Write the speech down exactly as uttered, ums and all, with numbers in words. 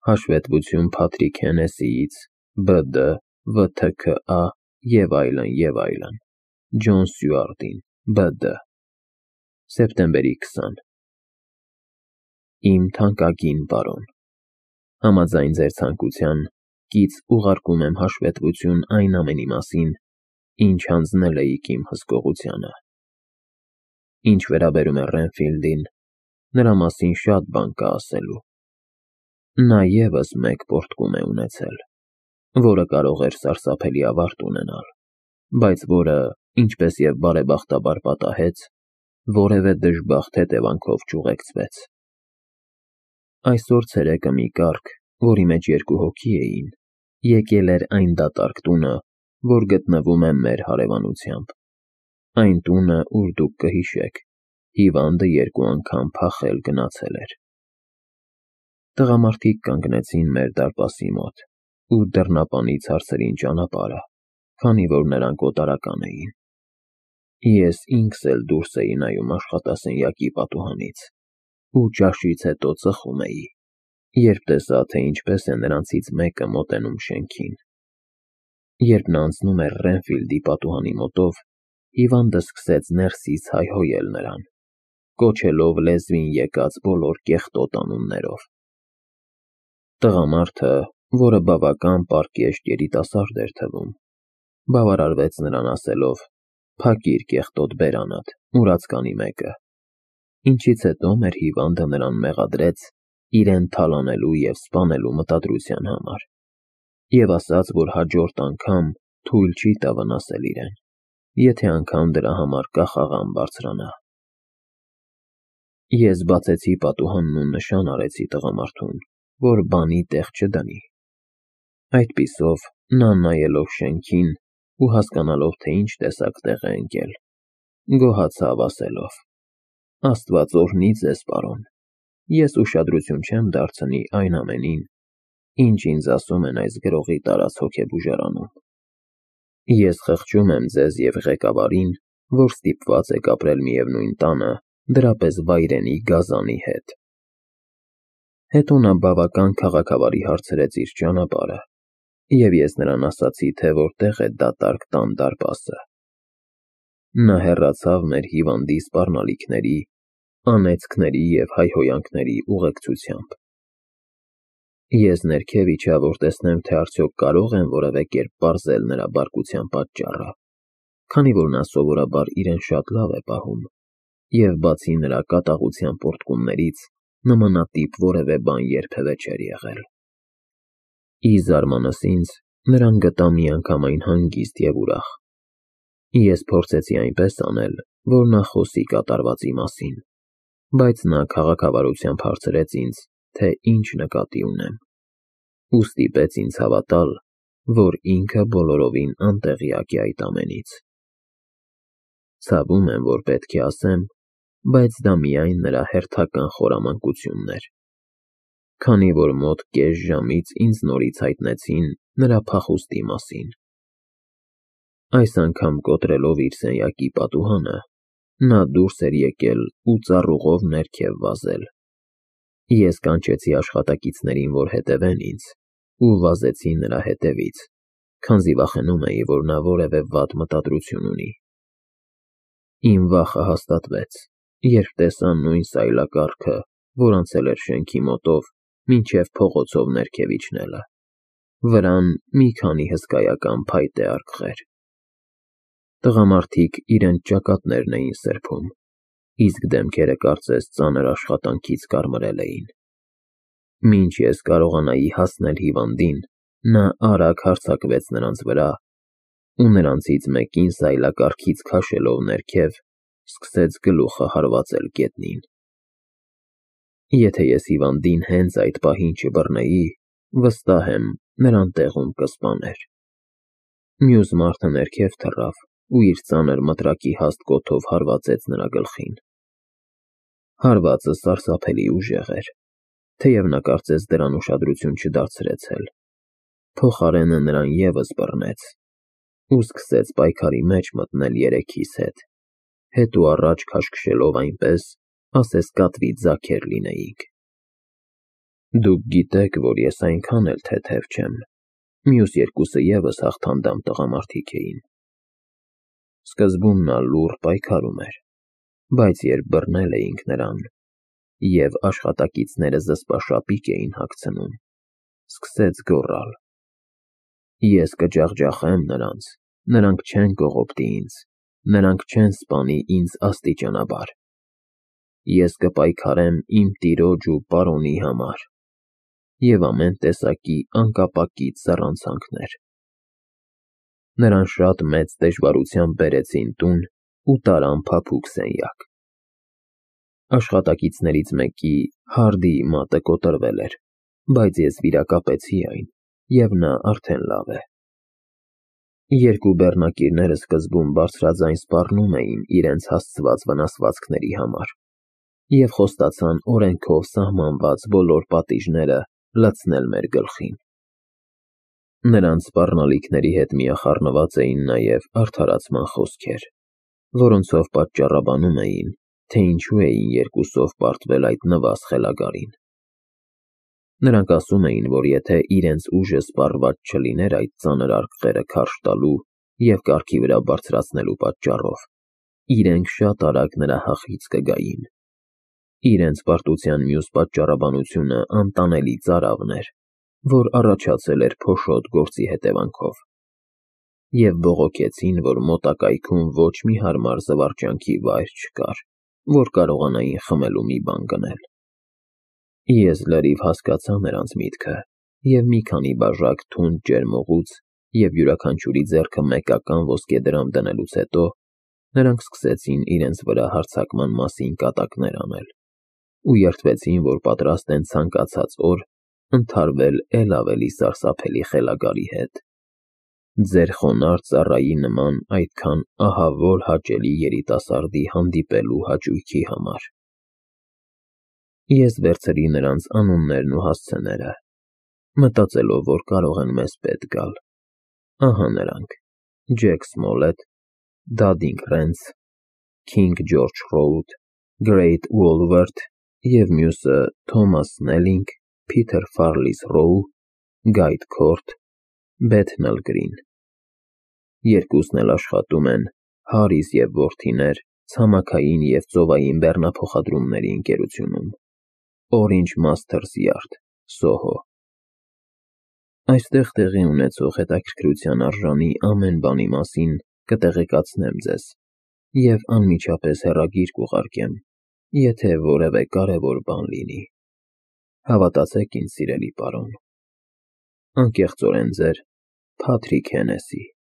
Հաշվետվություն Փաթրիկ Հենեսիից, Բ Դ, V T K A և այլն, և այլն, Ջոն Սյուարտին, B D Սեպտեմբերի քսան Իմ թանկագին բարոն, համաձայն ձեր ցանկության, կից ուղարկում եմ հաշվետվություն այն ամենի մասին, ինչ հանձնել էիք իմ հսկողությանը։ Ինչ վերաբերում է Ռենֆիլդին, նրա մասին շատ բան կա ասելու։ Նա ևս մեկ պոռթկում է ունեցել, որը կարող էր սարսափելի ավարտ ունենալ, բայց որը, ինչպես և բարեբախտաբար պատահեց, որևէ դժբախտ հետևանքով չուղեկցվեց։ Այսօր ցերեկը մի կառք, որի մեջ երկու հոգի էին, եկել էր այն դատարկ տունը, որ գտնվում է մեր հարևանությամբ, այն տունը, ուր դուք կհիշեք, հիվանդը երկու անգամ փախել գնացել էր։ Տղամարդիկ կանգնեցին մեր դարպասի մոտ ու դռնապանից հարցրին ճանապարհը, քանի որ նրանք օտարական էին։ Ես ինքս էլ դուրս էի նայում աշխատասենյակի պատուհանից ու ճաշից հետո ծխում էի, երբ տեսա, թե ինչպես է նրանցից մեկը մոտենում շենքին։ Երբ նա անցնում էր Ռենֆիլդի պատուհանի մոտով, հիվանդը սկսեց ներսից հայհոյել նրան, կոչելով լեզվին եկած բոլոր կեղտոտ անուններով։ Տղամարդը, որը բավական պարկեշտ երիտասարդ էր թվում, բավարարվեց նրան ասելով. «Փակիր կեղտոտ բերանդ, մուրացկանի մեկը», ինչից հետո մեր հիվանդը նրան մեղադրեց իրեն թալանելու և սպանելու մտադրության համար և ասաց, որ հաջորդ անգամ թույլ չի տա վնասել իրեն, եթե անգամ դրա համար կախաղան բարձրանա։ Ես բացեցի պատուհանն ու նշան արեցի տղամարդուն, որ բանի տեղ չդնի։ Այդպիսով նա, նայելով շենքին ու հասկանալով, թե ինչ տեսակ տեղ է ընկել, գոհացավ ասելով. «Աստված օրհնի ձեզ, պարոն, ես ուշադրություն չեմ դարձնի այն ամենին, ինչ ինձ ասում են այս գրողի տարած հոգեբուժարանում։ Ես խղճում եմ ձեզ և ղեկավարին, որ ստիպված եք ապրել միևնույն տանը, դրապես վայրենի գազանի հետ»։ Հետո նա բավական քաղաքավարի հարցրեց իր ճանապարհը, և ես նրան ասացի, թե որտեղ է դատարկ տան դարպասը։ Նա հեռացավ մեր հիվանդի սպառնալիքների, անեծքների և հայհոյանքների ուղեկցությամբ։ Ես ներքև իջա, որ տեսնեմ, թե արդյոք կարող եմ որևէ կերպ պարզել նրա բարկության պատճառը, քանի որ նա սովորաբար իրեն շատ լավ է պահում, և բացի նրա կատաղության պոռթկումներից, նմանատիպ որևէ բան երբևէ չէր եղել։ Ի զարմանս ինձ, նրան գտա միանգամայն հանգիստ և ուրախ։ Ես փորձեցի այնպես անել, որ նա խոսի կատարվածի մասին, բայց նա քաղաքավարությամբ հարցրեց ինձ, թե ինչ նկատի ունեմ, ու ստիպեց ինձ հավատալ, որ ինքը բոլորովին անտեղյակ է այդ ամենից։ Ցավում եմ, որ պետք է ասեմ, բայց դա միայն նրա հերթական խորամանկությունն էր, քանի որ մոտ կես ժամից ինձ նորից հայտնեցին նրա փախուստի մասին։ Այս անգամ կոտրելով իր սենյակի պատուհանը, նա դուրս էր եկել ու ծառուղով ներքև վազել։ Ես կանչեցի աշխատակիցներին, որ հետևեն ինձ, ու վազեցի նրա հետևից, քանզի վախենում էի, որ նա որևէ վատ մտադրություն ունի։ Իմ վախը հաստատվեց, երբ տեսա նույն սայլակառքը, որ անցել էր շենքի մոտով մինչև փողոցով ներքև իջնելը, վրան մի քանի հսկայական փայտե արկղեր։ Տղամարդիկ իրենց ճակատներն էին սրբում, իսկ դեմքերը կարծես ծանր աշխատանքից կարմրել էին։ Մինչ ես կարողանայի հասնել հիվանդին, նա արագ հարձակվեց նրանց վրա ու նրանցից մեկին սայլակառքից քաշելով ներքև, սկսեց գլուխը հարվածել գետնին։ Եթե ես հիվանդին հենց այդ պահին չբռնեի, վստահ եմ, նրան տեղում կսպաներ։ Մյուս մարդը ներքև թռավ ու իր ծանր մտրակի հաստ կոթով հարվածեց նրա գլխին։ Հարվածը սարսափելի ուժեղ էր, թեև նա կարծես դրան ուշադրություն չդարձրեց էլ, փոխարենը նրան ևս բռնեց ու սկսեց պայքարի մեջ մտնել երեքիս հետ, հետ ու առաջ քաշքշելով այնպես, ասես կատվի ձագեր լինեինք։ Դուք գիտեք, որ ես այնքան էլ թեթև չեմ, մյուս երկուսը ևս հաղթանդամ տղամարդիկ էին։ Սկզբում նա լուռ պայքարում էր, բայց երբ բռնել էինք նրան, և աշխատակիցները զսպաշապիկ էին հագցնում, սկսեց գոռալ. «Ես կջախջախեմ նրանց, նրանք չեն կողոպտի ինձ, նրանք չեն սպանի ինձ աստիճանաբար։ Ես կպայքարեմ իմ տիրոջ ու պարոնի համար» և ամեն տեսակի անկապակից զառանցանքներ։ Նրան շատ մեծ դժվարությամբ բերեցին տուն ու տարան փափուկ սենյակ։ Աշխատակիցներից մեկի Հարդիի մատը կոտրվել էր, բայց ես վիրակապեցի այն, և նա արդեն լավ է։ Երկու բեռնակիրները սկզբում բարձրաձայն սպառնում էին իրենց հասցված վնասվածքների համար և խոստացան օրենքով սահմանված բոլոր պատիժները լցնել մեր գլխին։ Նրանց սպառնալիքների հետ միախառնված էին նաև արդարացման խոսքեր, որոնցով պատճառաբանում էին, թե ինչու էին երկուսով պարտվել այդ նվազ խելագարին։ Նրանք ասում էին, որ եթե իրենց ուժը սպառված չլիներ այդ ծանր արկղերը քարշ տալու և կառքի վրա բարձրացնելու պատճառով, իրենք շատ արագ նրա հախից կգային։ Իրենց պարտության մյուս պատճառաբանությունը անտանելի ծարավն էր, որ առաջացել էր փոշոտ գործի հետևանքով, և բողոքեցին, որ մոտակայքում ոչ մի հարմար զվարճանքի վայր չկար, որ կարողանային խմելու մի բան գնել։ Ես լրիվ հասկացա նրանց միտքը և մի քանի բաժակ թունդ ջերմուղուց և յուրաքանչյուրի ձեռքը մեկական ոսկեդրամ դնելուց հետո նրանք սկսեցին իրենց վրա հարձակման մասին կատակներ անել ու երդվեցին, որ պատրաստ են ցանկացած օր ընդհարվել էլ ավելի սարսափելի խելագարի հետ, ձեր խոնարհ ծառայի նման այդքան ահավոր հաճելի երիտասարդի հանդիպելու հաճույքի համար։ Ես վերցրի նրանց անուններն ու հասցեները, մտածելով, որ կարող են մեզ պետք գալ։ Ահա նրանք. Ջեք Սմոլեթ, Դադինգ Ռենց, Քինգ Ջորջ Ռոուդ, Գրեյտ Ուոլվերթ և մյուսը Թոմաս Սնելինգ, Փիթեր Ֆարլիս Ռոու, Գայդ Քորթ, Բեթնալ Գրին։ Երկուսն էլ աշխատում են Հարիս և որդիներ ցամաքային և ծովային բեռնափոխադրումների ընկերությունում, Orange Masters Yard, Սոհո։ Այստեղ տեղի ունեցող հետաքրքրության արժանի ամեն բանի մասին կտեղեկացնեմ ձեզ և անմիջապես հեռագիր կուղարկեմ, եթե որևէ կարևոր բան լինի։ Հավատացեք ինձ, սիրելի պարոն։ Անկեղծորեն ձեր Փաթրիկ Հենեսի։